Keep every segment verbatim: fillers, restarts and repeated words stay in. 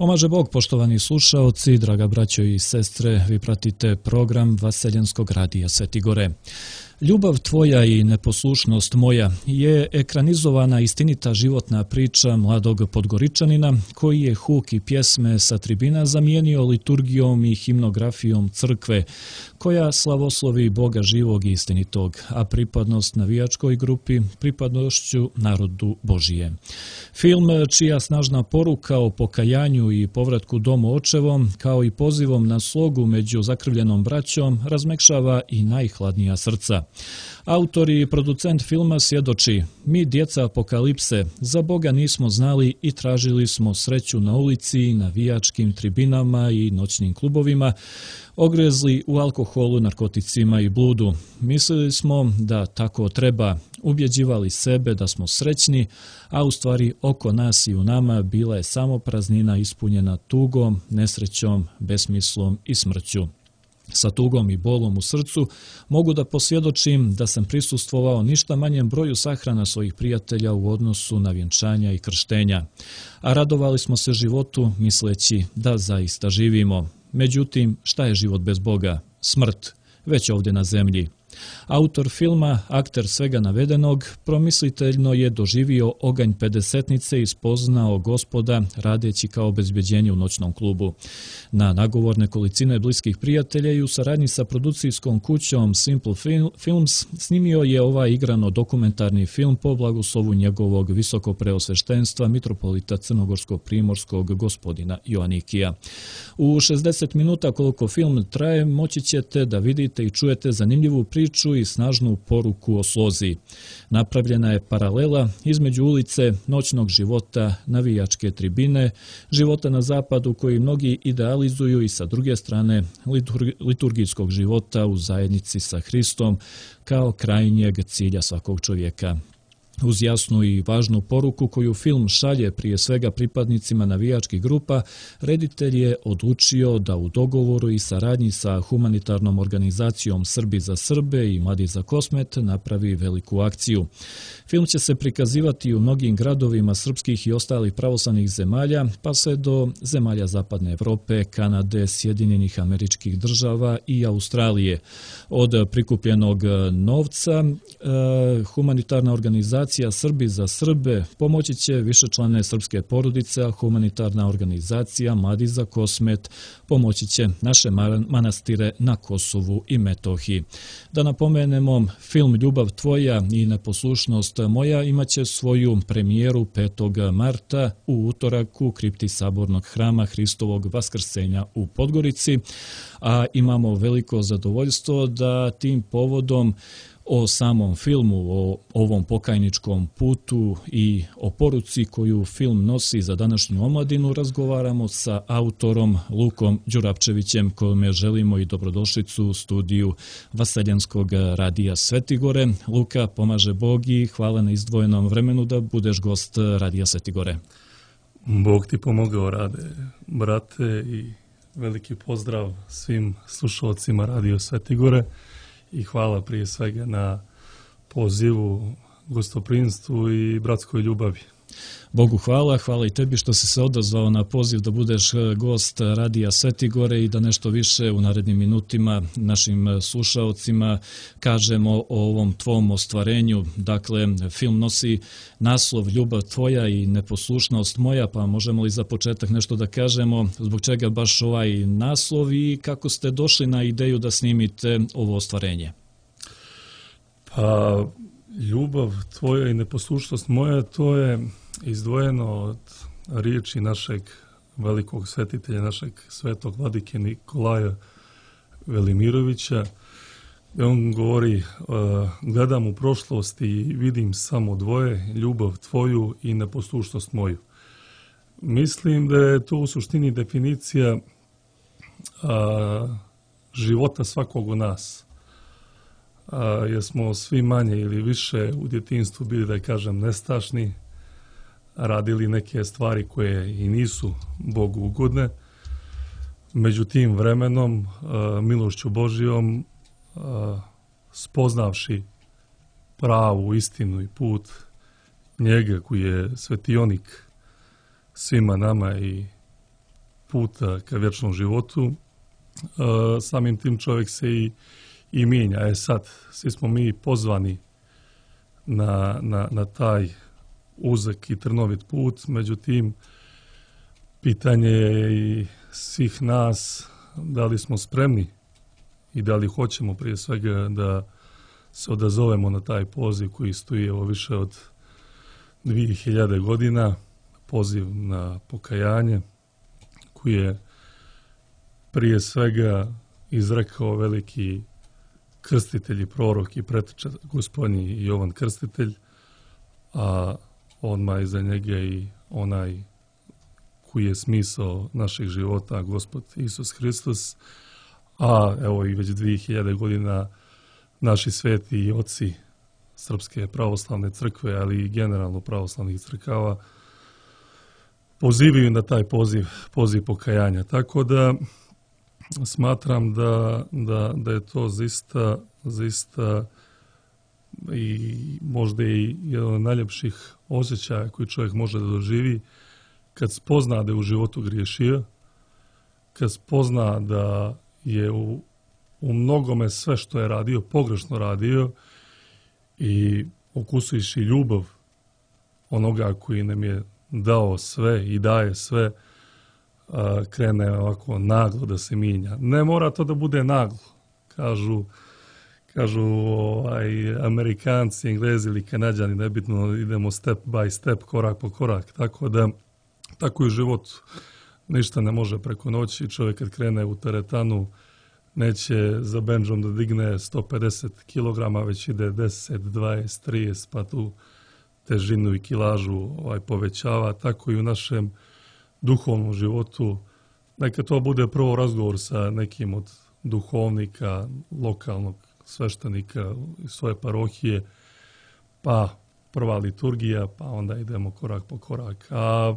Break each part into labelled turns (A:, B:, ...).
A: Pomaže Bog, poštovani slušaoci, draga braćo i sestre, vi pratite program Vaseljenskog radija Sveti Gore. Ljubav tvoja i neposlušnost moja je ekranizovana istinita životna priča mladog Podgoričanina koji je huk i pjesme sa tribina zamijenio liturgijom i himnografijom crkve koja slavoslovi Boga živog i istinitog, a pripadnost navijačkoj grupi pripadnošću narodu Božije. Film čija snažna poruka o pokajanju i povratku domu očevom kao i pozivom na slogu među zakrvljenom braćom razmekšava i najhladnija srca. Autor i producent filma svjedoči: mi, djeca apokalipse, za Boga nismo znali i tražili smo sreću na ulici, navijačkim tribinama i noćnim klubovima, ogrezli u alkoholu, narkoticima i bludu. Mislili smo da tako treba, ubjeđivali sebe da smo srećni, a u stvari oko nas i u nama bila je samo praznina ispunjena tugom, nesrećom, besmislom i smrću. Sa tugom i bolom u srcu mogu da posvjedočim da sam prisustvovao ništa manjem broju sahrana svojih prijatelja u odnosu na vjenčanja i krštenja, a radovali smo se životu misleći da zaista živimo. Međutim, šta je život bez Boga? Smrt, već ovdje na zemlji. Autor filma, akter svega navedenog, promisliteljno je doživio oganj pedesetnice i spoznao Gospoda radeći kao obezbeđenje u noćnom klubu. Na nagovor nekolicine bliskih prijatelja i u saradnji sa produkcijskom kućom Simple Films snimio je ovaj igrano dokumentarni film po blagoslovu njegovog visokopreosveštenstva mitropolita crnogorsko-primorskog gospodina Joanikija. U šezdeset minuta koliko film traje moći ćete da vidite i čujete zanimljivu priču i snažnu poruku o slozi. Napravljena je paralela između ulice, noćnog života, navijačke tribine, života na zapadu koji mnogi idealizuju i sa druge strane liturgijskog života u zajednici sa Hristom kao krajnjeg cilja svakog čovjeka. Uz jasnu i važnu poruku koju film šalje prije svega pripadnicima navijačkih grupa, reditelj je odlučio da u dogovoru i saradnji sa humanitarnom organizacijom Srbi za Srbe i Mladi za Kosmet napravi veliku akciju. Film će se prikazivati u mnogim gradovima srpskih i ostalih pravoslavnih zemalja, pa sve do zemalja Zapadne Evrope, Kanade, Sjedinjenih Američkih Država i Australije. Od prikupljenog novca humanitarna organizacija Srbi za Srbe pomoći će višečlane srpske porodice, a humanitarna organizacija Mladi za Kosmet pomoći će naše manastire na Kosovu i Metohiji. Da napomenemo, film Ljubav tvoja i neposlušnost moja imaće svoju premijeru petog marta u utorak u kripti Sabornog hrama Hristovog Vaskrsenja u Podgorici, a imamo veliko zadovoljstvo da tim povodom o samom filmu, o ovom pokajničkom putu i o poruci koju film nosi za današnju omladinu razgovaramo sa autorom Lukom Đurapčevićem, kojome želimo i dobrodošlicu u studiju Vaseljenskog radija Sveti Gore. Luka, pomaže Bog i hvala na izdvojenom vremenu da budeš gost radija Sveti Gore.
B: Bog ti pomogao, Rade, brate, i veliki pozdrav svim slušalcima radio Sveti Gore. I hvala prije svega na pozivu, gostoprinstvu i bratskoj ljubavi.
A: Bogu hvala, hvala i tebi što si se odazvao na poziv da budeš gost radija Sveti Gore i da nešto više u narednim minutima našim slušaocima kažemo o ovom tvom ostvarenju. Dakle, film nosi naslov Ljubav tvoja i neposlušnost moja, pa možemo li za početak nešto da kažemo zbog čega baš ovaj naslov i kako ste došli na ideju da snimite ovo ostvarenje?
B: Pa, ljubav tvoja i neposlušnost moja, to je izdvojeno od riječi našeg velikog svetitelja, našeg svetog vladike Nikolaja Velimirovića. On govori, gledam u prošlost i vidim samo dvoje, ljubav tvoju i neposlušnost moju. Mislim da je to u suštini definicija a, života svakog od nas. A, jer smo svi manje ili više u djetinjstvu bili, da kažem, nestašni, radili neke stvari koje i nisu Bogu ugodne. Među tim vremenom, milošću Božijom, spoznavši pravu istinu i put njega koji je svetionik svima nama i puta ka vječnom životu, samim tim čovjek se i, i mijenja. E sad, svi smo mi pozvani na, na, na taj uzak i trnovit put, međutim, pitanje je i svih nas da li smo spremni i da li hoćemo prije svega da se odazovemo na taj poziv koji stoji evo više od dvije hiljade godina, poziv na pokajanje koji je prije svega izrekao veliki krstitelj i prorok i preteča gospodnji Jovan Krstitelj, a odmah iza njega i onaj koji je smisao naših života, Gospod Isus Hristos, a evo i već dvije hiljade godina naši sveti i oci Srpske pravoslavne crkve, ali i generalno pravoslavnih crkava, pozivaju na taj poziv, poziv pokajanja. Tako da smatram da, da, da je to zaista, zaista i možda i jedan od najljepših osjećaja koji čovjek može da doživi kad spozna da je u životu griješio, kad spozna da je u, u mnogome sve što je radio, pogrešno radio i okusuješ i ljubav onoga koji nam je dao sve i daje sve, a, krene ovako naglo da se mijenja. Ne mora to da bude naglo, kažu, kažu ovaj, Amerikanci, Englezi ili Kanađani, nebitno, idemo step by step, korak po korak, tako da tako i u životu. Ništa ne može preko noći. Čovjek kad krene u teretanu neće za bendžom da digne sto pedeset kilograma, već ide deset, dvadeset, trideset, pa tu težinu i kilažu ovaj, povećava. Tako i u našem duhovnom životu. Neka to bude prvo razgovor sa nekim od duhovnika, lokalnog sveštenika iz svoje parohije, pa prva liturgija, pa onda idemo korak po korak. A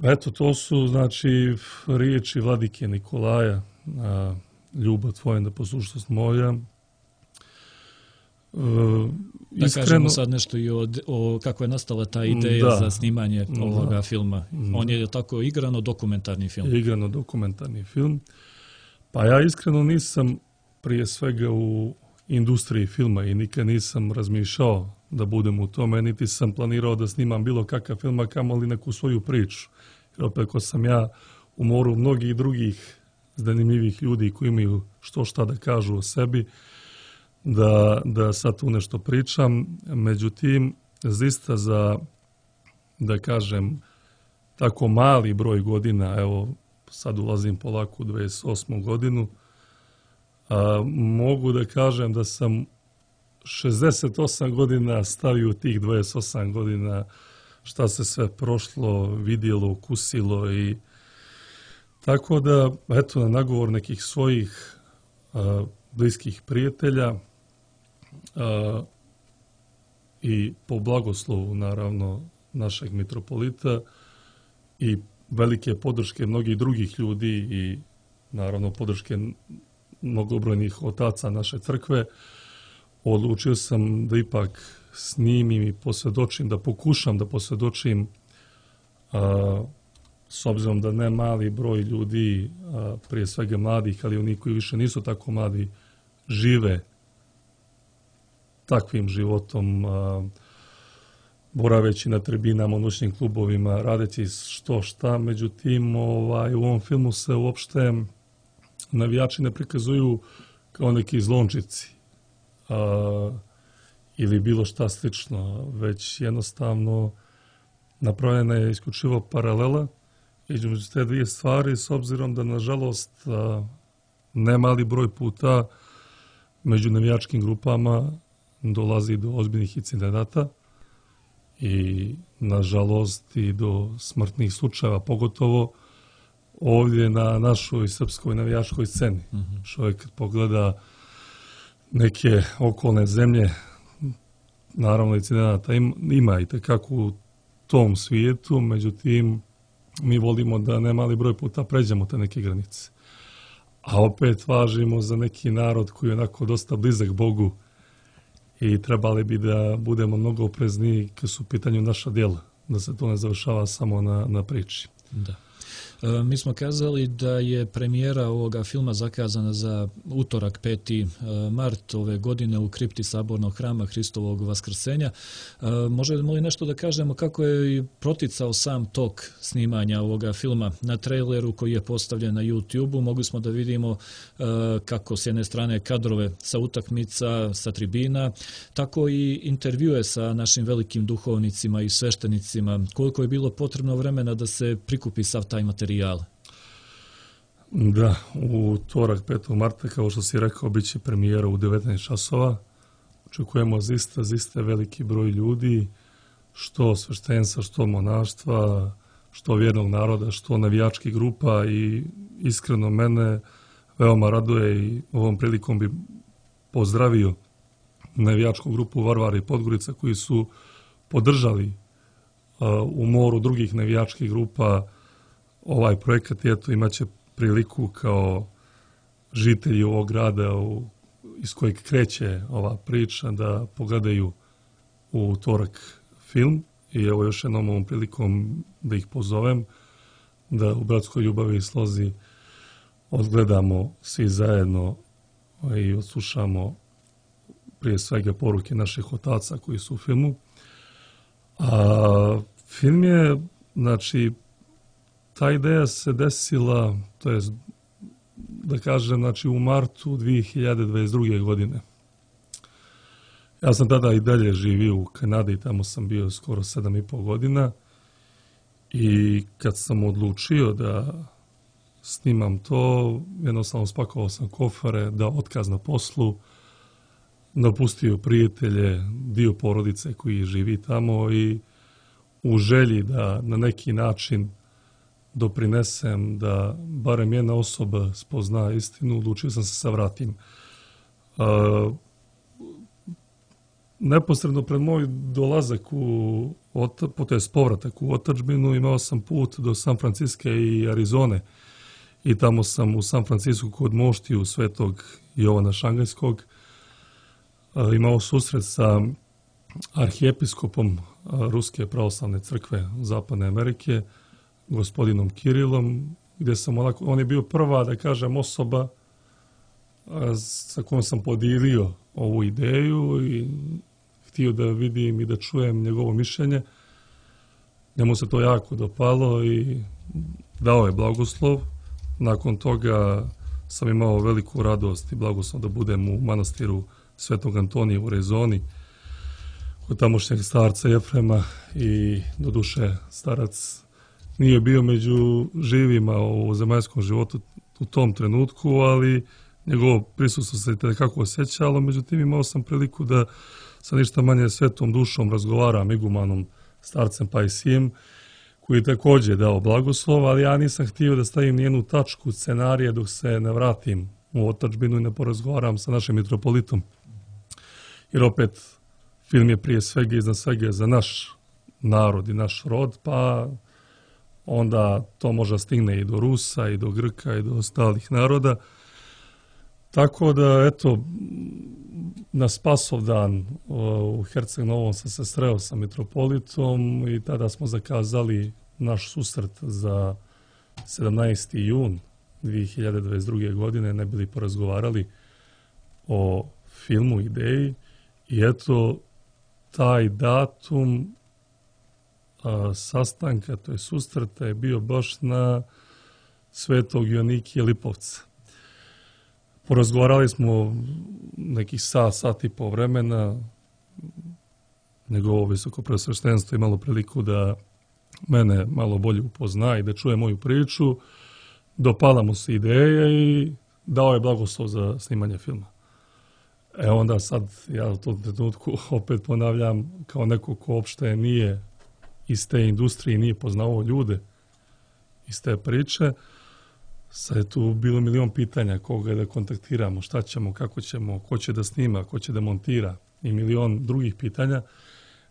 B: eto, to su, znači, riječi vladike Nikolaja, a, ljubav tvoja, neposlušnost moja. E,
A: da iskreno, kažemo sad nešto i o, o kako je nastala ta ideja da, za snimanje ovoga da, filma. On je tako igrano dokumentarni film.
B: Igrano dokumentarni film. Pa ja iskreno nisam prije svega u industriji filma i nikad nisam razmišljao da budem u tome, niti sam planirao da snimam bilo kakav film, a kamoli neku svoju priču. Jer opet ko sam ja u moru mnogih drugih zanimljivih ljudi koji imaju što šta da kažu o sebi, da, da sad tu nešto pričam. Međutim, zaista za, da kažem, tako mali broj godina, evo sad ulazim polako u dvadeset osmu godinu, a, mogu da kažem da sam šezdeset osam godina stavio tih dvadeset osam godina šta se sve prošlo, vidjelo, ukusilo i tako da, eto, na nagovor nekih svojih a, bliskih prijatelja a, i po blagoslovu, naravno, našeg mitropolita i velike podrške mnogih drugih ljudi i, naravno, podrške mnogobrojnih otaca naše crkve, odlučio sam da ipak snimim i posvjedočim, da pokušam da posvjedočim, a, s obzirom da ne mali broj ljudi, a, prije svega mladih, ali oni koji više nisu tako mladi, žive takvim životom, a, boraveći na tribinama, u noćnim klubovima, radeći što šta. Međutim, ovaj, u ovom filmu se uopšte navijači ne prikazuju kao neki zlončici a, ili bilo šta slično, već jednostavno napravljena je isključivo paralela između te dvije stvari, s obzirom da, nažalost, a, ne mali broj puta među navijačkim grupama dolazi do ozbiljnih incidenata i, nažalost, i do smrtnih slučajeva, pogotovo ovdje na našoj srpskoj navijačkoj sceni. Mm-hmm. Čovjek kad pogleda neke okolne zemlje, naravno incidenata ima i tekako u tom svijetu, međutim, mi volimo da ne mali broj puta pređemo te neke granice. A opet važimo za neki narod koji je onako dosta blizak Bogu i trebali bi da budemo mnogo oprezniji kad su u pitanju naša djela, da se to ne završava samo na, na priči.
A: Da. Mi smo kazali da je premijera ovoga filma zakazana za utorak peti mart ove godine u kripti Sabornog hrama Hristovog vaskrsenja. Možemo li nešto da kažemo kako je proticao sam tok snimanja ovoga filma? Na traileru koji je postavljen na YouTube-u mogli smo da vidimo kako s jedne strane kadrove sa utakmica, sa tribina, tako i intervjue sa našim velikim duhovnicima i sveštenicima. Koliko je bilo potrebno vremena da se prikupi sav taj materijal?
B: Da, u utorak petog marta, kao što si rekao, bit će premijera u devetnaest časova. Očekujemo zista, zista veliki broj ljudi, što sveštenstva, što monaštva, što vjernog naroda, što navijačkih grupa i iskreno mene veoma raduje i ovom prilikom bi pozdravio navijačku grupu Varvara i Podgorica koji su podržali uh, u moru drugih navijačkih grupa ovaj projekat i eto imat će priliku kao žitelji ovog grada u, iz kojeg kreće ova priča da pogledaju u utorak film i evo još jednom ovom prilikom da ih pozovem da u bratskoj ljubavi i slozi odgledamo svi zajedno i odslušamo prije svega poruke naših otaca koji su u filmu. A film je, znači, ta ideja se desila, to je, da kažem, znači u martu dvije hiljade dvadeset druge. godine. Ja sam tada i dalje živio u Kanadi i tamo sam bio skoro sedam i pol godina i kad sam odlučio da snimam to, jednostavno spakovao sam kofare, dao otkaz na poslu, napustio prijatelje, dio porodice koji živi tamo i u želji da na neki način doprinesem da barem jedna osoba spozna istinu, odlučio sam se sa vratim. Uh, neposredno pred moj dolazak u to jest povratak u otadžbinu imao sam put do San Franciska i Arizone i tamo sam u San Francisku kod moštiju svetog Jovana Šangajskog uh, imao susret sa arhijepiskopom uh, Ruske pravoslavne crkve Zapadne Amerike, gospodinom Kirilom, gdje sam onako, on je bio prva, da kažem, osoba a, sa kojom sam podijelio ovu ideju i htio da vidim i da čujem njegovo mišljenje. Njemu se to jako dopalo i dao je blagoslov. Nakon toga sam imao veliku radost i blagoslov da budem u manastiru Svetog Antonija u Rezoni, kod tamošnjeg starca Jefrema i doduše starac nije bio među živima u zemaljskom životu u tom trenutku, ali njegovo prisustvo se tekako osjećalo, međutim imao sam priliku da sa ništa manje svetom dušom razgovaram igumanom starcem Pajsijem, koji je također dao blagoslov, ali ja nisam htio da stavim nijednu tačku scenarija dok se ne vratim u otadžbinu i ne porazgovaram sa našim mitropolitom. Jer opet film je prije svega iznad svega za naš narod i naš rod, pa onda to može stigne i do Rusa, i do Grka, i do ostalih naroda. Tako da, eto, na Spasovdan u Herceg Novom sam se sreo sa mitropolitom i tada smo zakazali naš susret za sedamnaesti jun dvije hiljade dvadeset druge. godine, ne bili porazgovarali o filmu, ideji i eto, taj datum a, sastanka, to je susreta, je bio baš na Svetog Joanikija Lipovca. Porazgovarali smo nekih sat, sat i po vremena. Njegovo visoko presveštenstvo imalo priliku da mene malo bolje upozna i da čuje moju priču. Dopala mu se ideja i dao je blagoslov za snimanje filma. E onda sad, ja u tom trenutku opet ponavljam, kao neko ko uopšte nije iz te industrije, nije poznao ljude iz te priče, sad je tu bilo milion pitanja koga da kontaktiramo, šta ćemo, kako ćemo, ko će da snima, ko će da montira i milion drugih pitanja.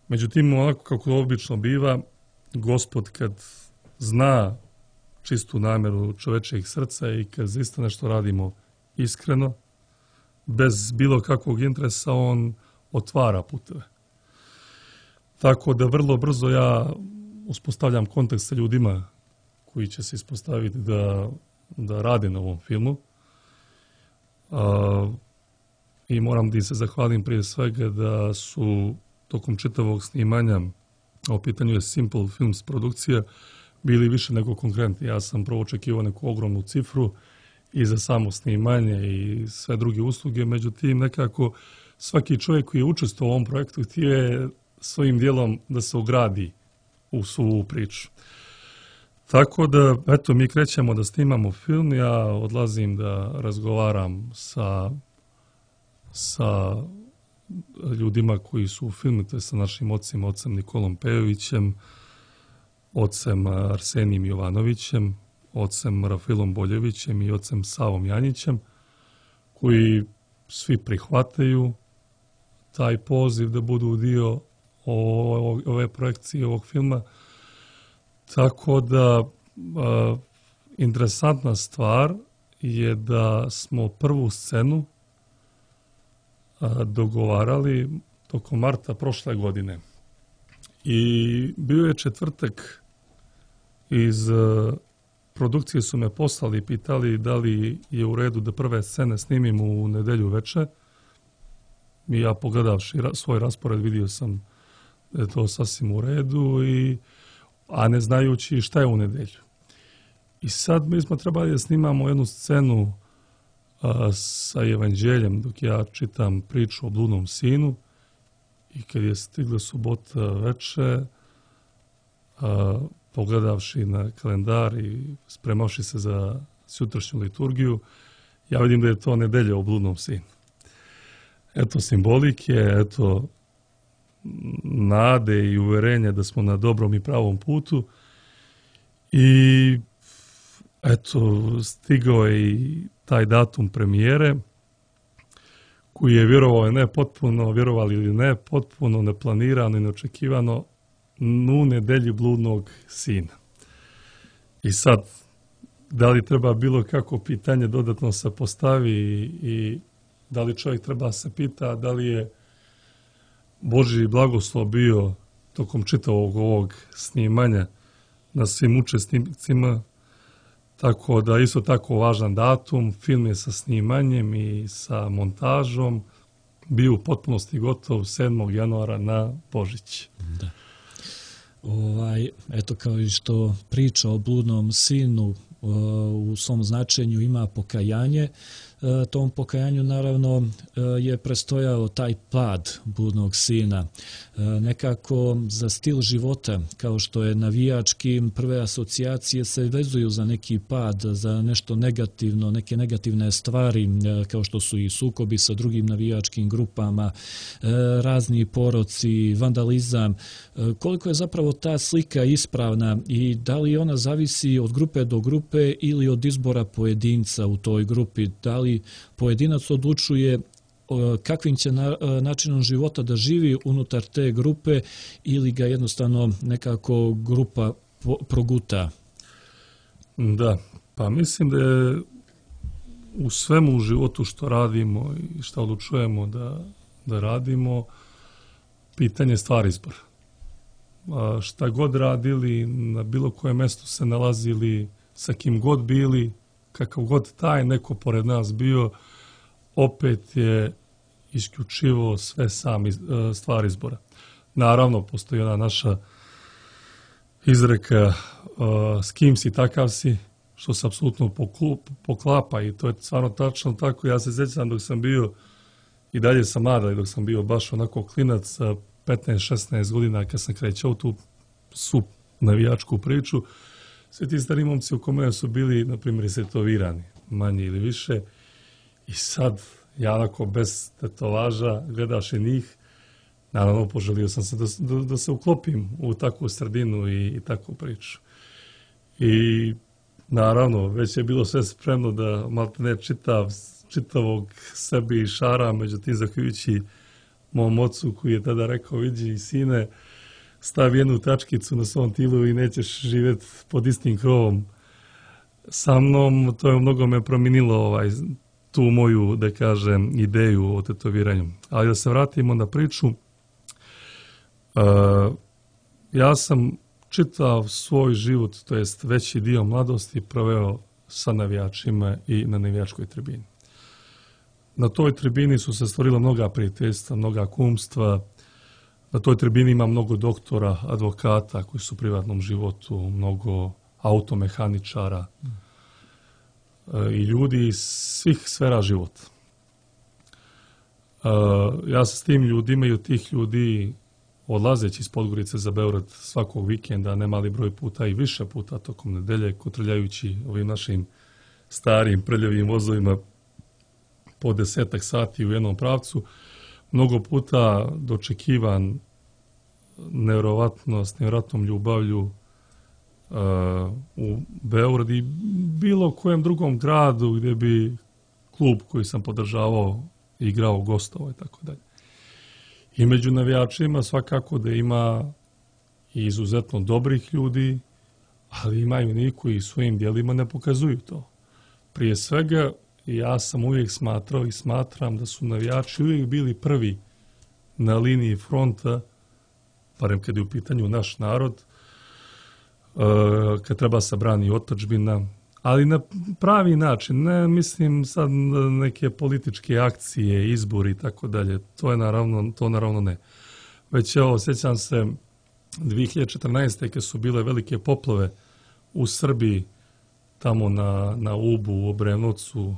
B: Međutim, onako kako obično biva, Gospod kad zna čistu nameru čovečijeg srca i kad zaista nešto radimo iskreno, bez bilo kakvog interesa, on otvara puteve. Tako da vrlo brzo ja uspostavljam kontakt sa ljudima koji će se ispostaviti da, da rade na ovom filmu. A, I moram da se zahvalim prije svega da su tokom čitavog snimanja, a u pitanju je Simple Films produkcija, bili više nego konkretni. Ja sam prvo očekivao neku ogromnu cifru i za samo snimanje i sve druge usluge, međutim nekako svaki čovjek koji je učestvovao u ovom projektu htio je svojim dijelom da se ugradi u svu priču. Tako da, eto, mi krećemo da snimamo film, ja odlazim da razgovaram sa, sa ljudima koji su u filmu, to je sa našim ocem, ocem Nikolom Pejovićem, ocem Arsenijom Jovanovićem, ocem Rafaelom Boljevićem i ocem Savom Janjićem, koji svi prihvataju taj poziv da budu dio ove projekcije, ovog filma. Tako da, a, interesantna stvar je da smo prvu scenu a, dogovarali tokom marta prošle godine. I bio je četvrtak, iz a, produkcije su me poslali i pitali da li je u redu da prve scene snimim u nedelju veče. I ja, pogledavši ra, svoj raspored, vidio sam da je to sasvim u redu, i, a ne znajući šta je u nedelju. I sad mi smo trebali da snimamo jednu scenu a, sa evanđeljem dok ja čitam priču o bludnom sinu, i kad je stigla subota veče, a, pogledavši na kalendar i spremavši se za sutrašnju liturgiju, ja vidim da je to nedelja o bludnom sinu. Eto simbolike, eto nade i uverenja da smo na dobrom i pravom putu. I eto, stigao je i taj datum premijere, koji je, vjerovao je ne potpuno, vjerovali ili ne, potpuno neplanirano i neočekivano, u nedelji bludnog sina. I sad, da li treba bilo kako pitanje dodatno se postavi i, i da li čovjek treba se pita da li je Božji blagoslov bio tokom čitavog ovog snimanja na svim učesnicima, tako da isto tako važan datum, film je sa snimanjem i sa montažom bio u potpunosti gotov sedmog januara na Božić.
A: Da. Ovaj, eto, kao i što priča o bludnom sinu u svom značenju ima pokajanje, tom pokajanju naravno je prestojao taj pad bludnog sina. Nekako za stil života, kao što je navijački, prve asocijacije se vezuju za neki pad, za nešto negativno, neke negativne stvari, kao što su i sukobi sa drugim navijačkim grupama, razni poroci, vandalizam. Koliko je zapravo ta slika ispravna i da li ona zavisi od grupe do grupe ili od izbora pojedinca u toj grupi? Da li pojedinac odlučuje kakvim će načinom života da živi unutar te grupe ili ga jednostavno nekako grupa proguta?
B: Da, pa mislim da je u svemu u životu što radimo i što odlučujemo da, da radimo, pitanje stvar izbora. A šta god radili, na bilo kojem mjestu se nalazili, sa kim god bili, kakav god taj neko pored nas bio, opet je isključivo sve sam stvar izbora. Naravno, postoji ona naša izreka s kim si, takav si, što se apsolutno poklapa, i to je stvarno tačno tako. Ja se sjećam dok sam bio, i dalje sam mlad, dok sam bio baš onako klinac sa petnaest šesnaest godina, kad sam krećao tu su navijačku priču, svi ti stari momci u kome su bili, na primjer, istetovirani, manje ili više, i sad ja onako bez tetovaža gledaš i njih, naravno poželio sam se da, da, da se uklopim u takvu sredinu i, i takvu priču. I naravno, već je bilo sve spremno da maltene čitav, čitavog sebi i šara, međutim, zahvaljujući mom ocu koji je tada rekao, vidi sine, stavi jednu tačkicu na svom tilu i nećeš živjeti pod istim krovom sa mnom. To je mnogo me promijenilo ovaj, tu moju, da kažem, ideju o tetoviranju. Ali da se vratimo na priču, uh, ja sam čitav svoj život, to jest veći dio mladosti, proveo sa navijačima i na navijačkoj tribini. Na toj tribini su se stvorila mnoga prijateljstva, mnoga kumstva. Na toj tribini ima mnogo doktora, advokata koji su u privatnom životu, mnogo automehaničara i ljudi iz svih sfera života. Ja se s tim ljudima i od tih ljudi, odlazeći iz Podgorice za Beograd svakog vikenda, ne mali broj puta i više puta tokom nedelje, kotrljajući ovim našim starim prljavim vozovima po desetak sati u jednom pravcu, mnogo puta dočekivan nevjerovatno, s nevjerovatnom ljubavlju uh, u Beograd i bilo kojem drugom gradu gdje bi klub koji sam podržavao igrao, gostovao i tako dalje. I među navijačima svakako da ima i izuzetno dobrih ljudi, ali ima i oni koji svojim djelima ne pokazuju to. Prije svega, ja sam uvijek smatrao i smatram da su navijači uvijek bili prvi na liniji fronta, barem kad je u pitanju naš narod, kad treba se brani otadžbina, ali na pravi način, ne mislim sad neke političke akcije, izbori i tako dalje, to je naravno, to naravno ne. Već evo, sjećam se dvije hiljade četrnaeste. kad su bile velike poplave u Srbiji, tamo na, na Ubu, u Obrenovcu,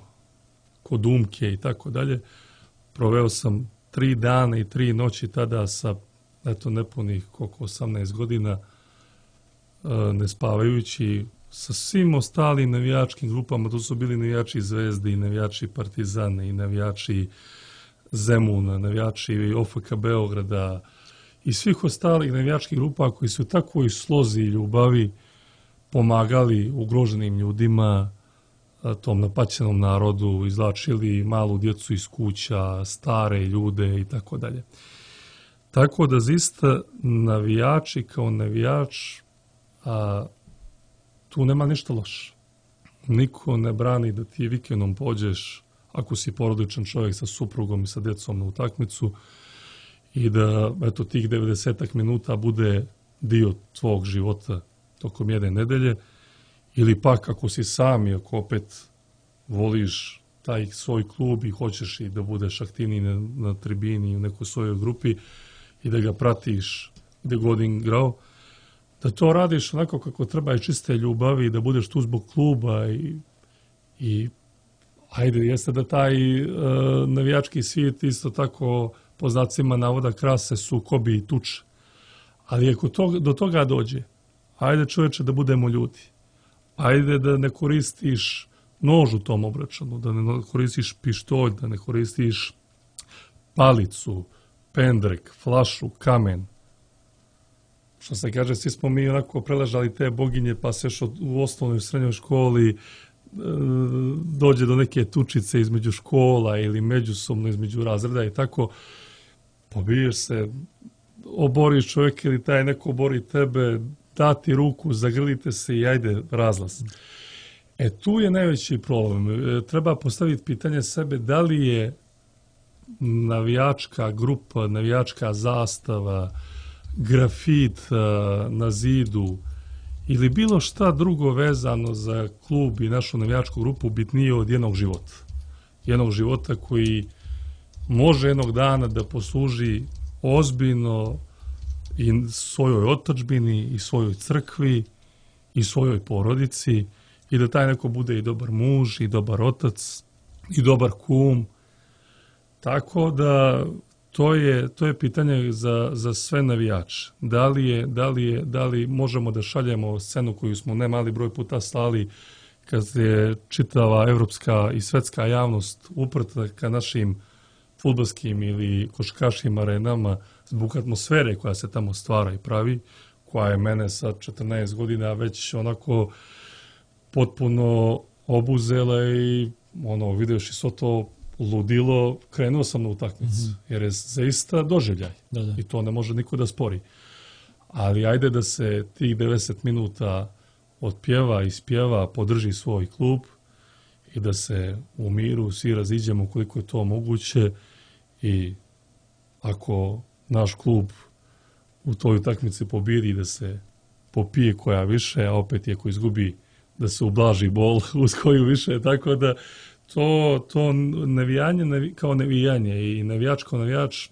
B: kod Umke i tako dalje, proveo sam tri dana i tri noći tada sa, eto, nepunih koliko osamnaest godina, ne spavajući, sa svim ostalim navijačkim grupama. To su bili navijači Zvezde i navijači Partizana i navijači Zemuna, navijači O F K Beograda i svih ostalih navijačkih grupa koji su u takvoj slozi i ljubavi pomagali ugroženim ljudima, tom napaćenom narodu, izvlačili malu djecu iz kuća, stare ljude i tako dalje. Tako da zaista navijači kao navijač, a tu nema ništa loše. Niko ne brani da ti vikendom pođeš, ako si porodičan čovjek sa suprugom i sa djecom, na utakmicu i da eto tih devedeset minuta bude dio tvog života tokom jedne nedelje, ili pak ako si sam i ako opet voliš taj svoj klub i hoćeš i da budeš aktivniji na, na tribini u nekoj svojoj grupi i da ga pratiš gdje god igrao, da to radiš onako kako treba i čiste ljubavi i da budeš tu zbog kluba i, i ajde, jeste da taj uh, navijački svijet isto tako po znacima navoda krase sukobi i tuče. Ali ako to, do toga dođe, ajde čovječe da budemo ljudi. Ajde da ne koristiš nož u tom obračunu, da ne koristiš pištolj, da ne koristiš palicu, pendrek, flašu, kamen. Što se kaže, svi smo mi onako preležali te boginje, pa se još u osnovnoj i srednjoj školi e, dođe do neke tučice između škola ili međusobno između razreda i tako, pobiješ se, oboriš čovjeka ili taj neko obori tebe, dati ruku, zagrlite se i ajde razlaz. E tu je najveći problem. E, treba postaviti pitanje sebe da li je navijačka grupa, navijačka zastava, grafit na zidu ili bilo šta drugo vezano za klub i našu navijačku grupu bitnije od jednog života. Jednog života koji može jednog dana da posluži ozbiljno i svojoj otadžbini i svojoj crkvi i svojoj porodici i da taj neko bude i dobar muž i dobar otac i dobar kum. Tako da to je, to je pitanje za, za sve navijače. Da li, je, da, li je, da li možemo da šaljemo scenu koju smo ne mali broj puta slali kad je čitava evropska i svetska javnost uprta ka našim fudbalskim ili košarkaškim arenama zbog atmosfere koja se tamo stvara i pravi, koja je mene sa četrnaest godina već onako potpuno obuzela i ono, vidiš i svo to ludilo, krenuo sam na utakmicu, mm-hmm. jer je zaista doživljaj da, da. I to ne može niko da spori. Ali ajde da se tih devedeset minuta otpjeva, ispjeva, podrži svoj klub i da se u miru svi raziđemo koliko je to moguće i ako naš klub u toj utakmici pobjedi da se popije koja više, a opet je ko izgubi da se ublaži bol uz koju više, tako da to, to navijanje navi, kao navijanje i navijač kao navijač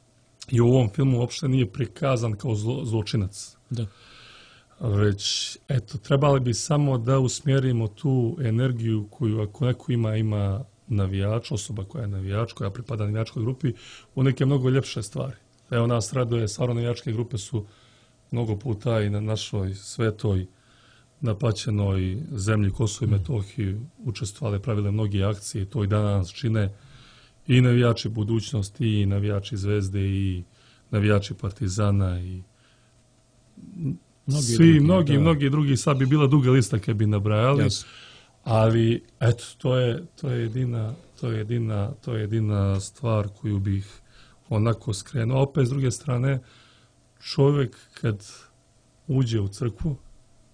B: i u ovom filmu uopšte nije prikazan kao zlo, zločinac.
A: Da.
B: Već, eto, trebali bi samo da usmjerimo tu energiju koju ako neko ima, ima navijač, osoba koja je navijač, koja pripada navijačkoj grupi, u neke mnogo ljepše stvari. Evo nas raduje, stvarno navijačke grupe su mnogo puta i na našoj svetoj napaćenoj zemlji Kosovo i Metohiji učestvovale, pravile mnogi akcije, to i danas čine i navijači budućnosti, i navijači Zvezde, i navijači Partizana, i mnogi svi, drugi, mnogi, da. mnogi drugi, sad bi bila duga lista kad bi nabrajali, yes. Ali eto, to je, to je jedina, to je jedina, to je jedina stvar koju bih onako skrenuo. Opet, s druge strane, čovjek kad uđe u crkvu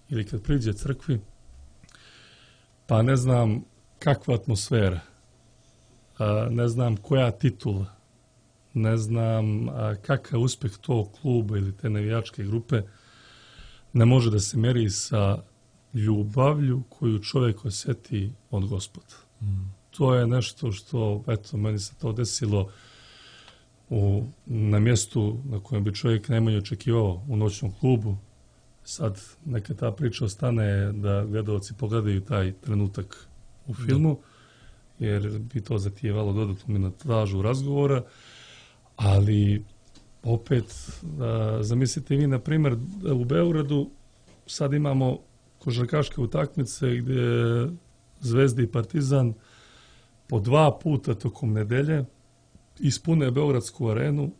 B: ili kad priđe crkvi, pa ne znam kakva atmosfera, ne znam koja titula, ne znam kakav uspjeh tog kluba ili te navijačke grupe, ne može da se meri sa ljubavlju koju čovjek osjeti od Gospoda. Mm. To je nešto što, eto, meni se to desilo u, na mjestu na kojem bi čovjek najmanje očekivao, u noćnom klubu. Sad neka ta priča ostane da gledalci pogledaju taj trenutak u filmu, jer bi to zatijevalo dodatnu minutažu razgovora, ali opet, da, zamislite vi, na primjer, u Beogradu sad imamo košarkaške utakmice gdje Zvezda i Partizan po dva puta tokom nedelje ispune Beogradsku arenu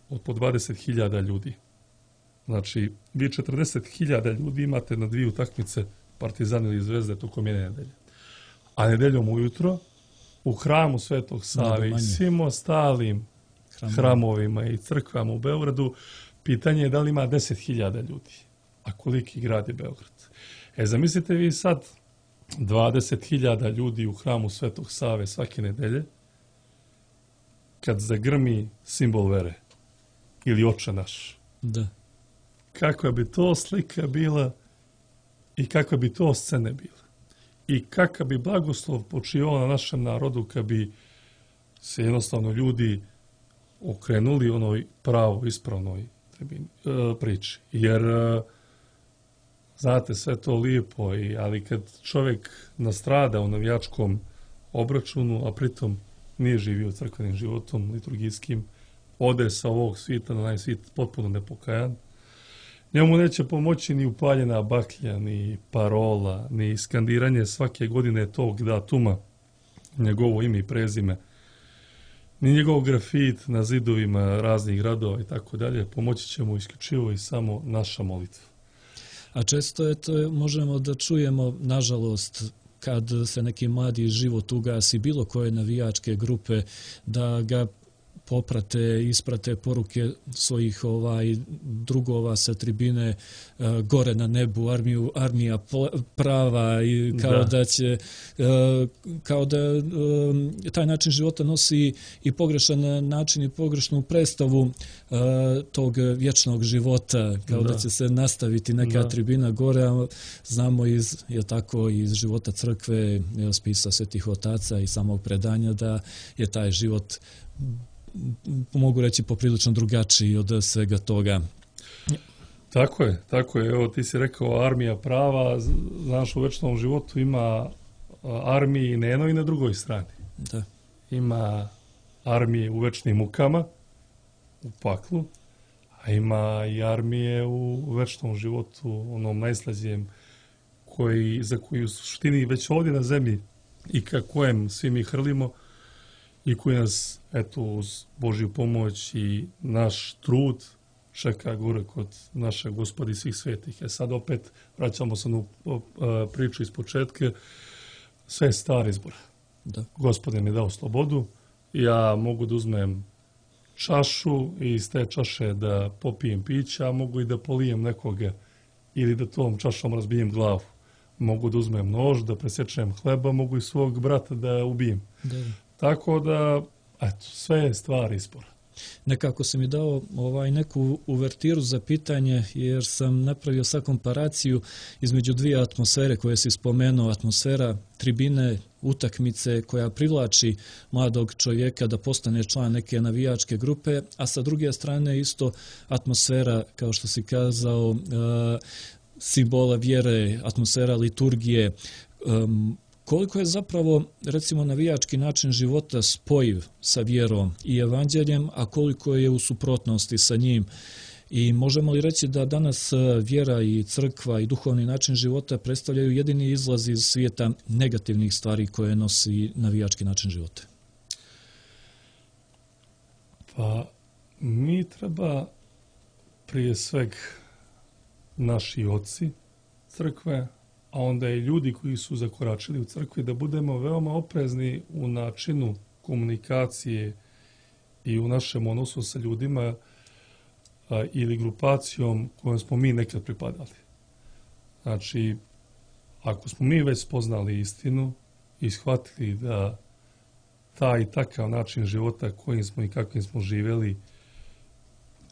B: od po dvadeset hiljada ljudi. Znači, vi četrdeset hiljada ljudi imate na dvije utakmice Partizan ili Zvezde tokom jedne nedelje. A nedeljom ujutro u hramu Svetog Save i svim ostalim Hramovi. hramovima i crkvama u Beogradu, pitanje je da li ima deset hiljada ljudi. A koliki grad je Beograd? E, zamislite vi sad dvadeset hiljada ljudi u hramu Svetog Save svake nedelje, kad zagrmi simbol vere ili Oče naš.
A: Da.
B: Kakva bi to slika bila i kakva bi to scene bila. I kakav bi blagoslov počivao na našem narodu kad bi se jednostavno ljudi okrenuli onoj pravo, ispravnoj priči. Jer znate, sve to lijepo, i, ali kad čovjek nastrada u navijačkom obračunu, a pritom nije živio crkvenim životom, liturgijskim, ode sa ovog svita na najsvit potpuno nepokajan, njemu neće pomoći ni upaljena baklja, ni parola, ni skandiranje svake godine tog datuma, njegovo ime i prezime, ni njegov grafit na zidovima raznih gradova i tako dalje. Pomoći će mu isključivo i samo naša molitva.
A: A često je to, možemo da čujemo, nažalost, kad se neki mladi život ugasi bilo koje navijačke grupe, da ga poprate, isprate poruke svojih ovaj drugova sa tribine uh, gore na nebu, armiju, armija prava, i kao da, da će uh, kao da um, taj način života nosi i pogrešan način i pogrešnu predstavu uh, tog vječnog života, kao da, da će se nastaviti neka da. tribina gore, a znamo iz, je tako, iz života crkve, spisa svetih otaca i samog predanja da je taj život, mogu reći, poprilično drugačiji od svega toga.
B: Tako je, tako je. Evo, ti si rekao armija prava, znaš, u večnom životu ima armiji na jednoj i na drugoj strani.
A: Da.
B: Ima armije u večnim mukama, u paklu, a ima i armije u večnom životu, onom najslađijem, koji, za koju u suštini već ovdje na zemlji i ka kojem svi mi hrlimo, i koji nas, eto, uz Božju pomoć i naš trud čeka gore kod naše Gospodi svih svetih. E sad opet vraćamo se na priču iz početka. Sve je star izbor.
A: Da.
B: Gospod mi je dao slobodu. Ja mogu da uzmem čašu i iz te čaše da popijem pića, a mogu i da polijem nekoga ili da tom čašom razbijem glavu. Mogu da uzmem nož, da presječem hleba, mogu i svog brata da ubijem.
A: Da.
B: Tako da, eto, sve je stvar izbora.
A: Nekako si mi dao ovaj neku uvertiru za pitanje, jer sam napravio sad komparaciju između dvije atmosfere koje si spomenuo, atmosfera tribine, utakmice koja privlači mladog čovjeka da postane član neke navijačke grupe, a sa druge strane isto atmosfera, kao što si kazao, simbola vjere, atmosfera liturgije. Koliko je zapravo, recimo, navijački način života spojiv sa vjerom i evanđeljem, a koliko je u suprotnosti sa njim? I možemo li reći da danas vjera i crkva i duhovni način života predstavljaju jedini izlaz iz svijeta negativnih stvari koje nosi navijački način života?
B: Pa mi treba prije sveg naši oci crkve, a onda i ljudi koji su zakoračili u crkvi, da budemo veoma oprezni u načinu komunikacije i u našem odnosu sa ljudima a, ili grupacijom kojom smo mi nekad pripadali. Znači, ako smo mi već spoznali istinu i shvatili da taj i takav način života kojim smo i kakvim smo živjeli,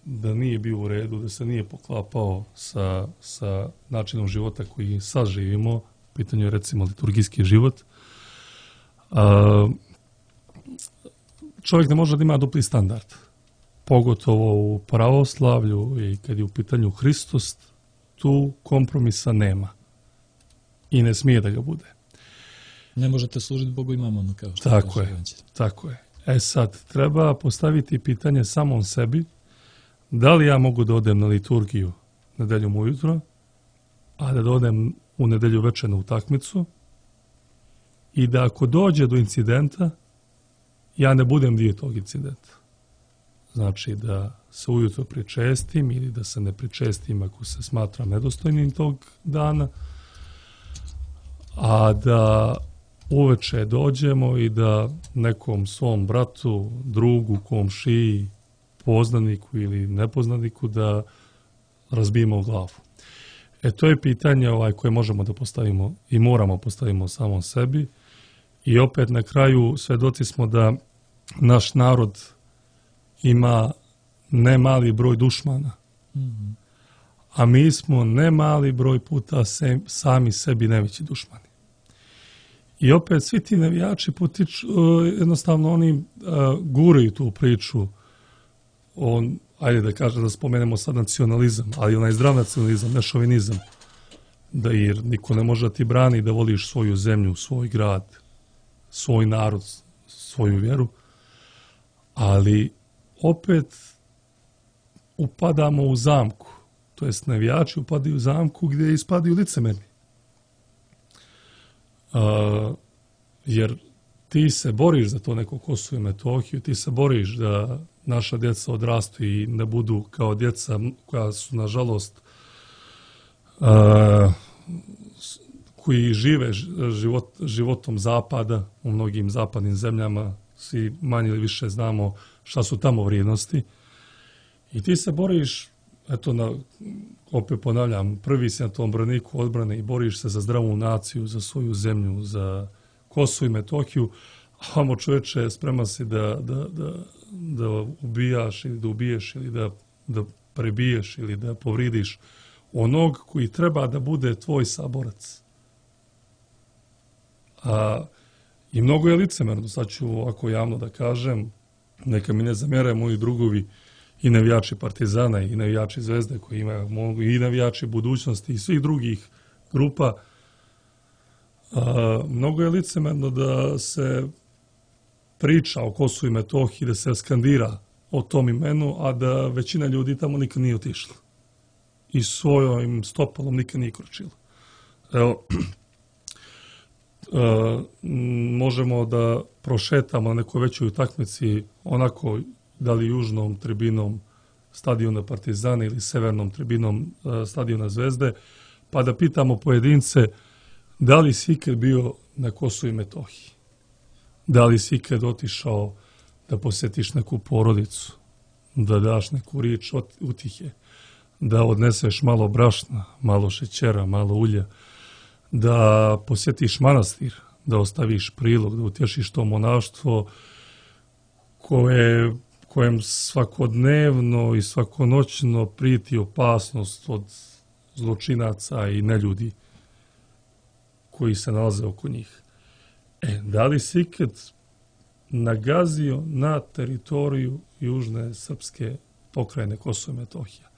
B: da nije bio u redu, da se nije poklapao sa, sa načinom života koji sad živimo, u pitanju je recimo liturgijski život, a, čovjek ne može da ima dupli standard, pogotovo u pravoslavlju i kad je u pitanju Hristos, tu kompromisa nema i ne smije da ga bude.
A: Ne možete služiti Bogu i mamonu, kao što
B: tako
A: kaže
B: je, evanđelje. Tako je. E sad, treba postaviti pitanje samom sebi, da li ja mogu da odem na liturgiju nedeljom ujutro, a da odem u nedelju večer na utakmicu i da ako dođe do incidenta, ja ne budem dio tog incidenta. Znači da se ujutro pričestim ili da se ne pričestim ako se smatram nedostojnim tog dana, a da uveče dođemo i da nekom svom bratu, drugu, komšiji, poznaniku ili nepoznaniku da razbijemo glavu. E to je pitanje ovaj koje možemo da postavimo i moramo postavimo samom sebi i opet na kraju svedoci smo da naš narod ima ne mali broj dušmana, mm-hmm. a mi smo ne mali broj puta se, sami sebi najveći dušmani. I opet svi ti navijači potiču, jednostavno oni uh, guraju tu priču on, ajde da kažem, da spomenemo sad nacionalizam, ali onaj zdrav nacionalizam, ne šovinizam, da jer niko ne može da ti brani da voliš svoju zemlju, svoj grad, svoj narod, svoju vjeru, ali opet upadamo u zamku, to jest navijači upadaju u zamku gdje ispadaju licemerni. Uh, jer ti se boriš za to neko Kosovo i Metohiju, ti se boriš da naša djeca odrastu i da budu kao djeca koja su, nažalost, uh, koji žive život, životom zapada u mnogim zapadnim zemljama, svi manje ili više znamo šta su tamo vrijednosti. I ti se boriš, eto, na, opet ponavljam, prvi si na tom braniku odbrane i boriš se za zdravu naciju, za svoju zemlju, za Kosovo i Metohiju, a vamo čovječe spreman si da, da, da, da ubijaš ili da ubiješ ili da, da prebiješ ili da povridiš onog koji treba da bude tvoj saborac. A, I mnogo je licemerno, sad ću ovako javno da kažem, neka mi ne zamjere moji drugovi i navijači Partizana i navijači Zvezde koji imaju i navijači budućnosti i svih drugih grupa. A, mnogo je licemerno da se priča o Kosovu i Metohiji, da se skandira o tom imenu, a da većina ljudi tamo nikad nije otišla. I svojom stopalom nikad nije kročila. Evo, a, možemo da prošetamo na nekoj većoj utakmici onako, da li južnom tribinom stadiona Partizana ili severnom tribinom a, stadiona Zvezde, pa da pitamo pojedince da li si ikad bio na Kosovu i Metohiji. Da li si ikad otišao da posjetiš neku porodicu, da daš neku riječ utihe, da odneseš malo brašna, malo šećera, malo ulja, da posjetiš manastir, da ostaviš prilog, da utješiš to monaštvo koje, kojem svakodnevno i svakonoćno prijeti opasnost od zločinaca i neljudi koji se nalaze oko njih. E, da li si ikad nagazio na teritoriju južne srpske pokrajine Kosovo i Metohija?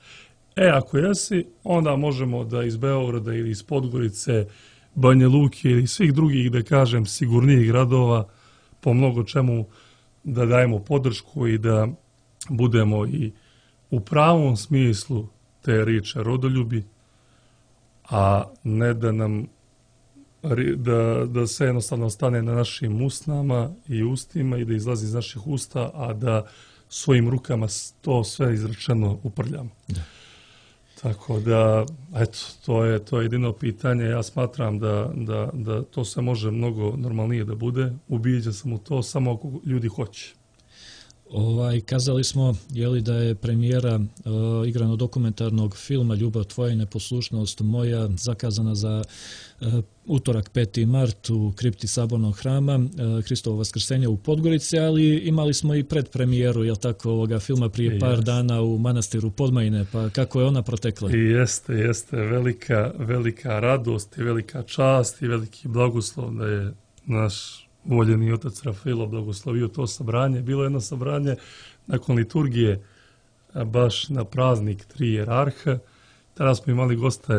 B: E, ako jesi, onda možemo da iz Beograda ili iz Podgorice, Banja Luke ili svih drugih, da kažem, sigurnijih gradova, po mnogo čemu da dajemo podršku i da budemo i u pravom smislu te riječi rodoljubi, a ne da nam da, da se jednostavno stane na našim usnama i ustima i da izlazi iz naših usta, a da svojim rukama to sve izrečeno uprljamo. Da. Tako da, eto, to je, to je jedino pitanje. Ja smatram da, da, da to se može mnogo normalnije da bude. Ubijeđen sam u to samo ako ljudi hoće.
A: Ovaj, kazali smo jeli, da je premijera uh, igrano dokumentarnog filma Ljubav tvoja i neposlušnost moja zakazana za uh, utorak peti mart u kripti Sabornog hrama uh, Hristovo vaskrsenje u Podgorici, ali imali smo i predpremijeru jel tako, ovoga filma prije par jeste. dana u manastiru Podmajine, pa kako je ona protekla?
B: I jeste, jeste velika, velika radost i velika čast i veliki blagoslov da je naš voljeni otac Rafailo blagoslovio to sabranje. Bilo je jedno sabranje nakon liturgije, baš na praznik tri jerarha. Tada smo imali goste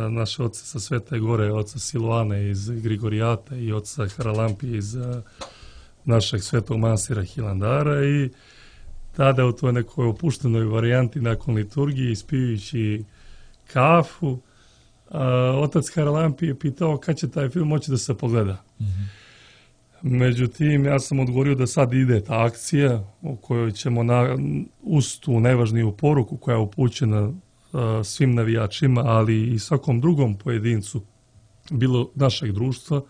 B: naše oce sa Svete Gore, oca Siluane iz Grigorijata i oca Haralampije iz našeg svetog manastira Hilandara i tada u toj nekoj opuštenoj varijanti nakon liturgije, ispijujući kafu, otac Haralampije je pitao kad će taj film moći da se pogleda. Mm-hmm. Međutim, ja sam odgovorio da sad ide ta akcija u kojoj ćemo na, uz tu najvažniju poruku koja je upućena uh, svim navijačima, ali i svakom drugom pojedincu, bilo našeg društva,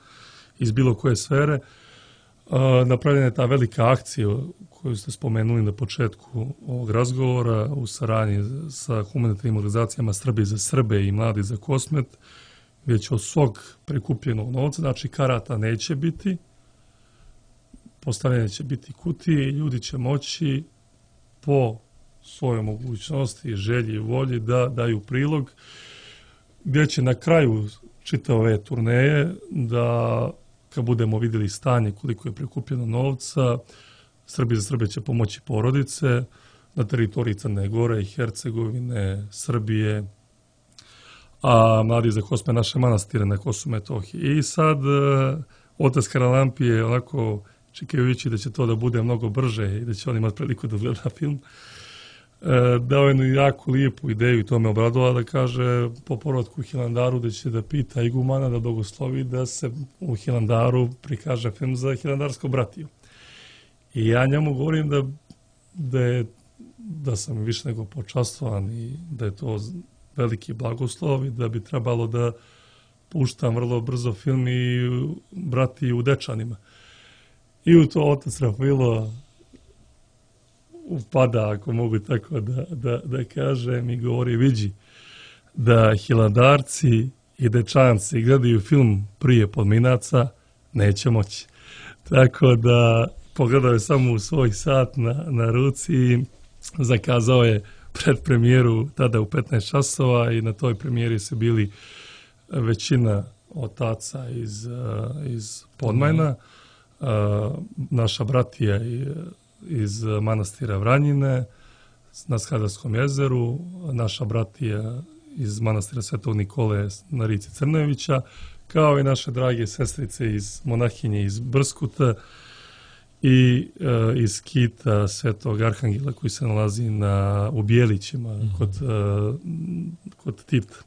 B: iz bilo koje sfere, uh, napravljena je ta velika akcija koju ste spomenuli na početku ovog razgovora u saradnji sa humanitarnim organizacijama Srbi za Srbe i Mladi za Kosmet, gdje će od svog prikupljenog novca, znači karata neće biti, postavljene će biti kutije i ljudi će moći po svojoj mogućnosti, želji i volji da daju prilog, gdje će na kraju čitave ove turneje da, kad budemo vidjeli stanje koliko je prikupljeno novca, Srbi za Srbe će pomoći porodice na teritoriji Crne Gore i Hercegovine, Srbije, a Mladi za Kosme naše manastire na Kosovu i Metohiji. I sad otac Haralampije onako čekajući da će to da bude mnogo brže i da će on imati priliku da gleda film, dao je jednu jako lijepu ideju i to me obradovalo da kaže po povratku u Hilandaru da će da pita igumana da blagoslovi da se u Hilandaru prikaže film za hilandarsku bratiju. I ja njemu govorim da, da, je, da sam više nego počastvovan i da je to veliki blagoslov i da bi trebalo da puštam vrlo brzo film i brati u Dečanima. I u to otac Rafailo upada, ako mogu tako da, da, da kažem, i govori, vidi da Hilandarci i Dečanci gledaju film prije Podminaca, neće moći. Tako da pogledao je samo u svoj sat na, na ruci i zakazao je predpremijeru tada u petnaest časova i na toj premijeri su bili većina otaca iz, iz Podmajna, Uh, naša bratija iz manastira Vranjine na Skadarskom jezeru, naša bratija iz manastira Svetog Nikole na rici Crnevića, kao i naše drage sestrice iz monahinje iz Brskuta i uh, iz kita Svetog Arhangela koji se nalazi na, u Bijelićima mm-hmm. kod, uh, kod Tivta.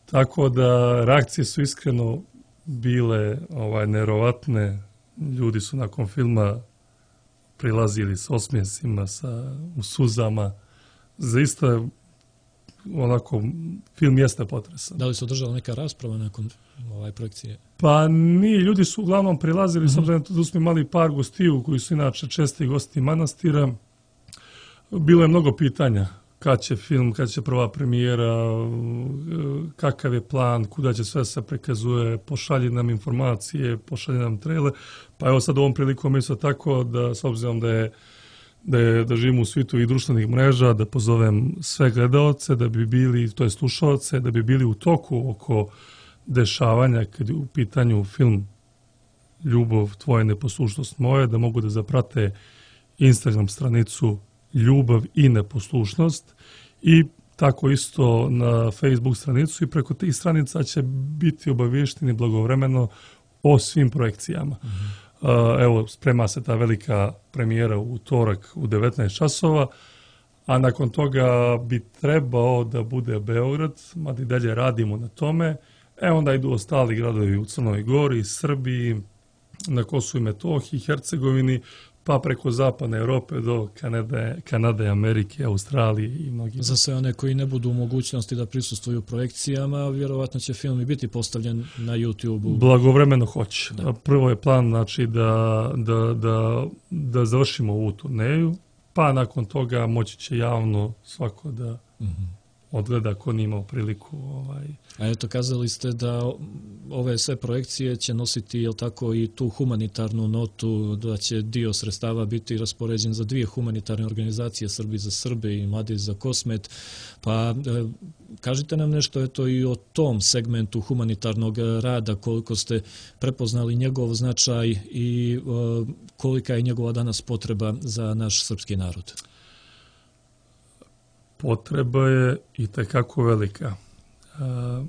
B: Tako da reakcije su iskreno bile ovaj, nerovatne. Ljudi su nakon filma prilazili s osmjesima, sa, u suzama. Zaista onako, film jeste potresan.
A: Da li se održala neka rasprava nakon ovaj projekcije?
B: Pa nije, ljudi su uglavnom prilazili, mm-hmm. s obzirom da smo imali par gostiju koji su inače česti gosti manastira. Bilo je mnogo pitanja. Kad će film, kad će prva premijera, kakav je plan, kuda će sve se prikazuje, pošalji nam informacije, pošalji nam trailer. Pa evo sad ovom prilikom isto tako da, s obzirom da je da, je, da živimo u svijetu i društvenih mreža, da pozovem sve gledaoce, da bi bili, to je slušaoce, da bi bili u toku oko dešavanja kad je u pitanju film Ljubav, tvoja neposlušnost moja, da mogu da zaprate Instagram stranicu Ljubav i neposlušnost i tako isto na Facebook stranicu i preko tih stranica će biti obavješteni blagovremeno o svim projekcijama. Mm-hmm. Uh, evo, sprema se ta velika premijera u utorak u devetnaest časova, a nakon toga bi trebao da bude Beograd, mada i dalje radimo na tome. E onda idu ostali gradovi u Crnoj Gori, Srbiji, na Kosovu i Metohiji, Hercegovini, pa preko zapadne Europe do Kanade, Kanade, Amerike, Australije i mnogi.
A: Za sve one koji ne budu u mogućnosti da prisustvuju projekcijama, vjerovatno će film i biti postavljen na YouTube-u.
B: Blagovremeno hoće. Da. Prvo je plan znači, da, da, da, da završimo ovu turneju, pa nakon toga moći će javno svako da mm-hmm. odgleda ko nije imao priliku. Ovaj.
A: A eto, kazali ste da ove sve projekcije će nositi, jel tako, i tu humanitarnu notu, da će dio sredstava biti raspoređen za dvije humanitarne organizacije, Srbi za Srbe i Mladi za Kosmet. Pa e, kažite nam nešto eto i o tom segmentu humanitarnog rada, koliko ste prepoznali njegov značaj i e, kolika je njegova danas potreba za naš srpski narod.
B: Potreba je i tekako velika. Uh,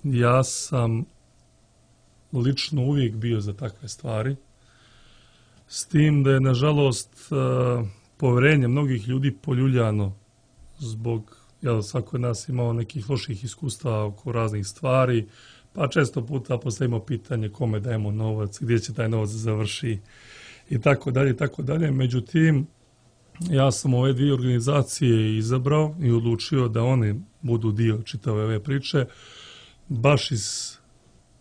B: ja sam lično uvijek bio za takve stvari, s tim da je nažalost uh, poverenje mnogih ljudi poljuljano zbog, jel, svako od nas imao nekih loših iskustava oko raznih stvari, pa često puta postavimo pitanje kome dajemo novac, gdje će taj novac završi i tako dalje, i tako dalje. Međutim, ja sam ove dvije organizacije izabrao i odlučio da oni budu dio čitave ove priče, baš iz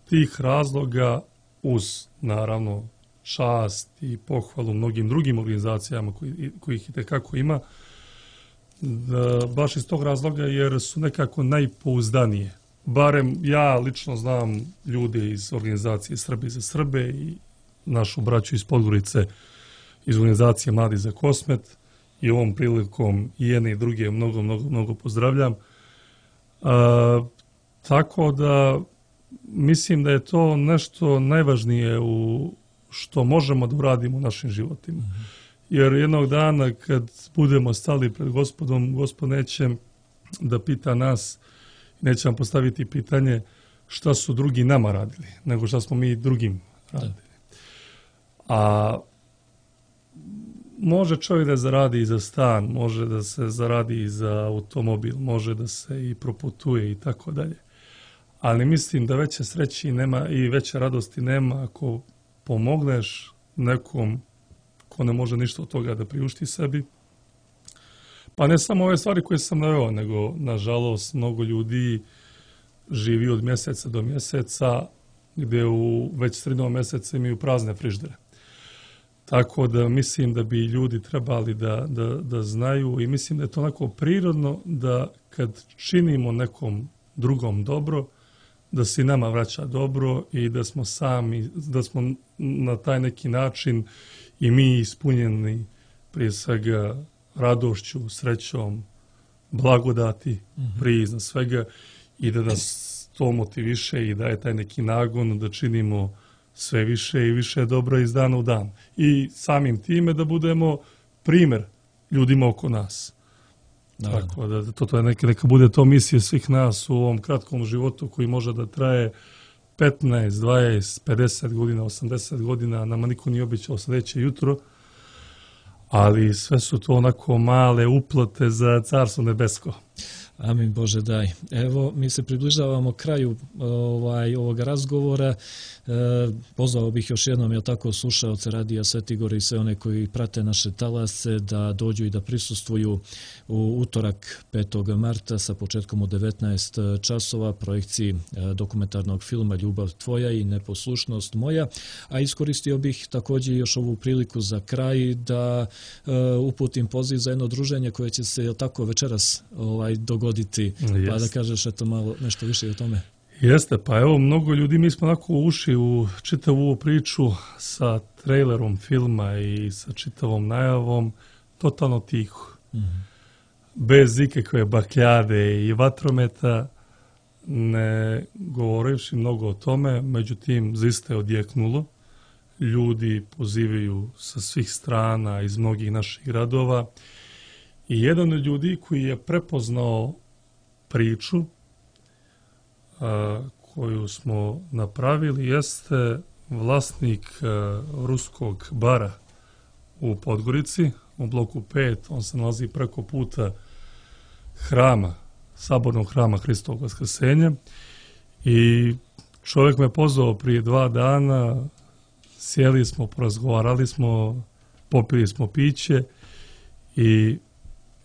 B: tih razloga, uz naravno čast i pohvalu mnogim drugim organizacijama koji, kojih i tekako ima, da, baš iz tog razloga jer su nekako najpouzdanije. Barem ja lično znam ljude iz organizacije Srbi za Srbe i našu braću iz Podgorice iz organizacije Mladi za Kosmet, i ovom prilikom i jedne i druge mnogo, mnogo, mnogo pozdravljam. A, tako da mislim da je to nešto najvažnije u što možemo da uradimo u našim životima. Mm-hmm. Jer jednog dana kad budemo stali pred Gospodom, Gospod neće da pita nas, neće nam postaviti pitanje šta su drugi nama radili, nego šta smo mi drugim radili. Da. A može čovjek da zaradi i za stan, može da se zaradi i za automobil, može da se i proputuje i tako dalje. Ali mislim da veće sreći nema i veće radosti nema ako pomogneš nekom ko ne može ništa od toga da priušti sebi. Pa ne samo ove stvari koje sam naveo, nego nažalost mnogo ljudi živi od mjeseca do mjeseca gdje u već sredinom mjeseca imaju prazne friždere. Tako da mislim da bi ljudi trebali da, da, da znaju i mislim da je to onako prirodno da kad činimo nekom drugom dobro, da se nama vraća dobro i da smo sami, da smo na taj neki način i mi ispunjeni prije svega radošću, srećom, blagodati, mm-hmm. prije iznad svega i da nas to motiviše i daje taj neki nagon da činimo sve više i više dobro iz dana u dan. I samim time da budemo primjer ljudima oko nas. Da, tako da to, to je neka, neka bude to misija svih nas u ovom kratkom životu koji može da traje petnaest, dvadeset, pedeset godina, osamdeset godina, nama niko nije običao sljedeće jutro, ali sve su to onako male uplate za Carstvo nebesko.
A: Amin Bože daj. Evo, mi se približavamo kraju ovaj, ovog razgovora. E, pozvao bih još jednom, ja tako, slušaoce Radija Sveti Gor i sve one koji prate naše talase da dođu i da prisustvuju u utorak petog marta sa početkom u devetnaest časova projekciji dokumentarnog filma Ljubav tvoja i neposlušnost moja. A iskoristio bih također još ovu priliku za kraj da e, uputim poziv za jedno druženje koje će se tako večeras ovaj, dogoditi. Yes. Pa da kažeš eto malo nešto više o tome.
B: Jeste, pa evo, mnogo ljudi, mi smo onako ušli u čitavu ovu priču sa trailerom filma i sa čitavom najavom, totalno tiho. Mm-hmm. Bez ikakve bakljade i vatrometa, ne govorivši mnogo o tome, međutim, zaista je odjeknulo. Ljudi pozivaju sa svih strana iz mnogih naših gradova i jedan od ljudi koji je prepoznao priču a, koju smo napravili jeste vlasnik a, ruskog bara u Podgorici, u bloku pet. On se nalazi preko puta hrama, sabornog hrama Hristovog Vaskrsenja i čovjek me pozvao prije dva dana, sjeli smo, porazgovarali smo, popili smo piće i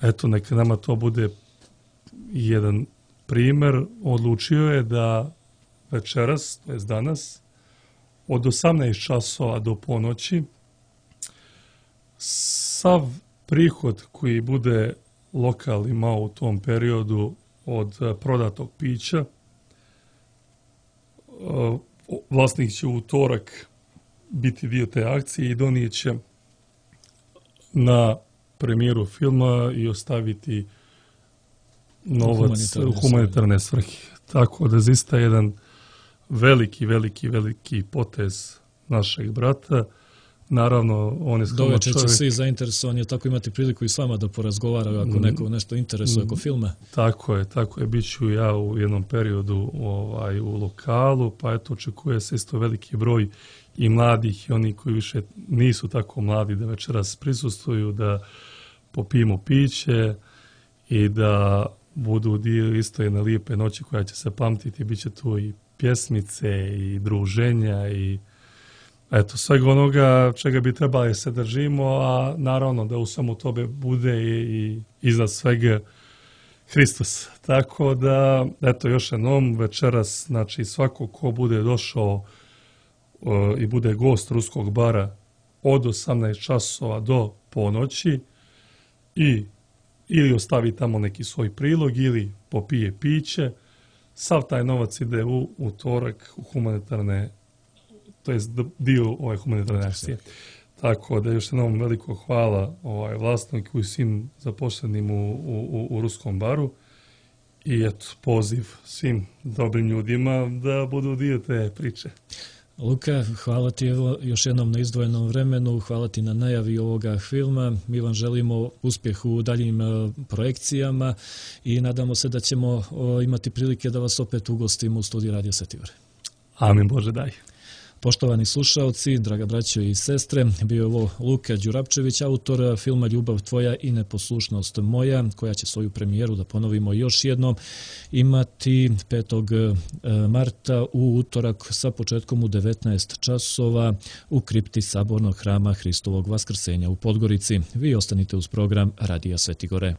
B: eto, neka nama to bude jedan primjer. Odlučio je da večeras, to je danas, od osamnaest časova do ponoći, sav prihod koji bude lokal imao u tom periodu od prodatog pića, vlasnik će u utorak biti dio te akcije i donijet će na premijeru filma i ostaviti novac u humanitarne svrhe. Tako da zaista jedan veliki, veliki, veliki potez našeg brata. Naravno, on je skroman
A: čovjek. Doveče će svi zainteresovani tako imati priliku i s vama da porazgovaraju ako neko nešto interesuje oko filma.
B: Tako je, tako je. Biću ja u jednom periodu ovaj, u lokalu, pa eto, očekuje se isto veliki broj i mladih i oni koji više nisu tako mladi da večeras prisustvuju, da popijemo piće i da budu dio isto jedne lijepe noći koja će se pamtiti. Biće tu i pjesmice i druženja i eto, svega onoga čega bi trebali se držimo, a naravno da u svemu tobe bude i, i iznad svega Hristos. Tako da, eto, još jednom večeras, znači svako ko bude došao uh, i bude gost ruskog bara od osamnaest časova do ponoći i ili ostavi tamo neki svoj prilog ili popije piće, sav taj novac ide u utorak u humanitarne, to je dio ove humanitarne akcije. Tako da još jednom veliko hvala ovaj vlasniku i svim zaposlenim u, u, u ruskom baru i eto, poziv svim dobrim ljudima da budu dio te priče.
A: Luka, hvala ti evo još jednom na izdvojenom vremenu, hvala ti na najavi ovoga filma. Mi vam želimo uspjeh u daljim projekcijama i nadamo se da ćemo imati prilike da vas opet ugostimo u studiju Radio Sveti Gore.
B: Amin Bože daj.
A: Poštovani slušaoci, draga braćo i sestre, bio je ovo Luka Đurapčević, autor filma Ljubav tvoja i neposlušnost moja, koja će svoju premijeru, da ponovimo još jednom, imati petog marta u utorak sa početkom u devetnaest časova u kripti Sabornog hrama Hristovog Vaskrsenja u Podgorici. Vi ostanite uz program Radija Sveti Gore.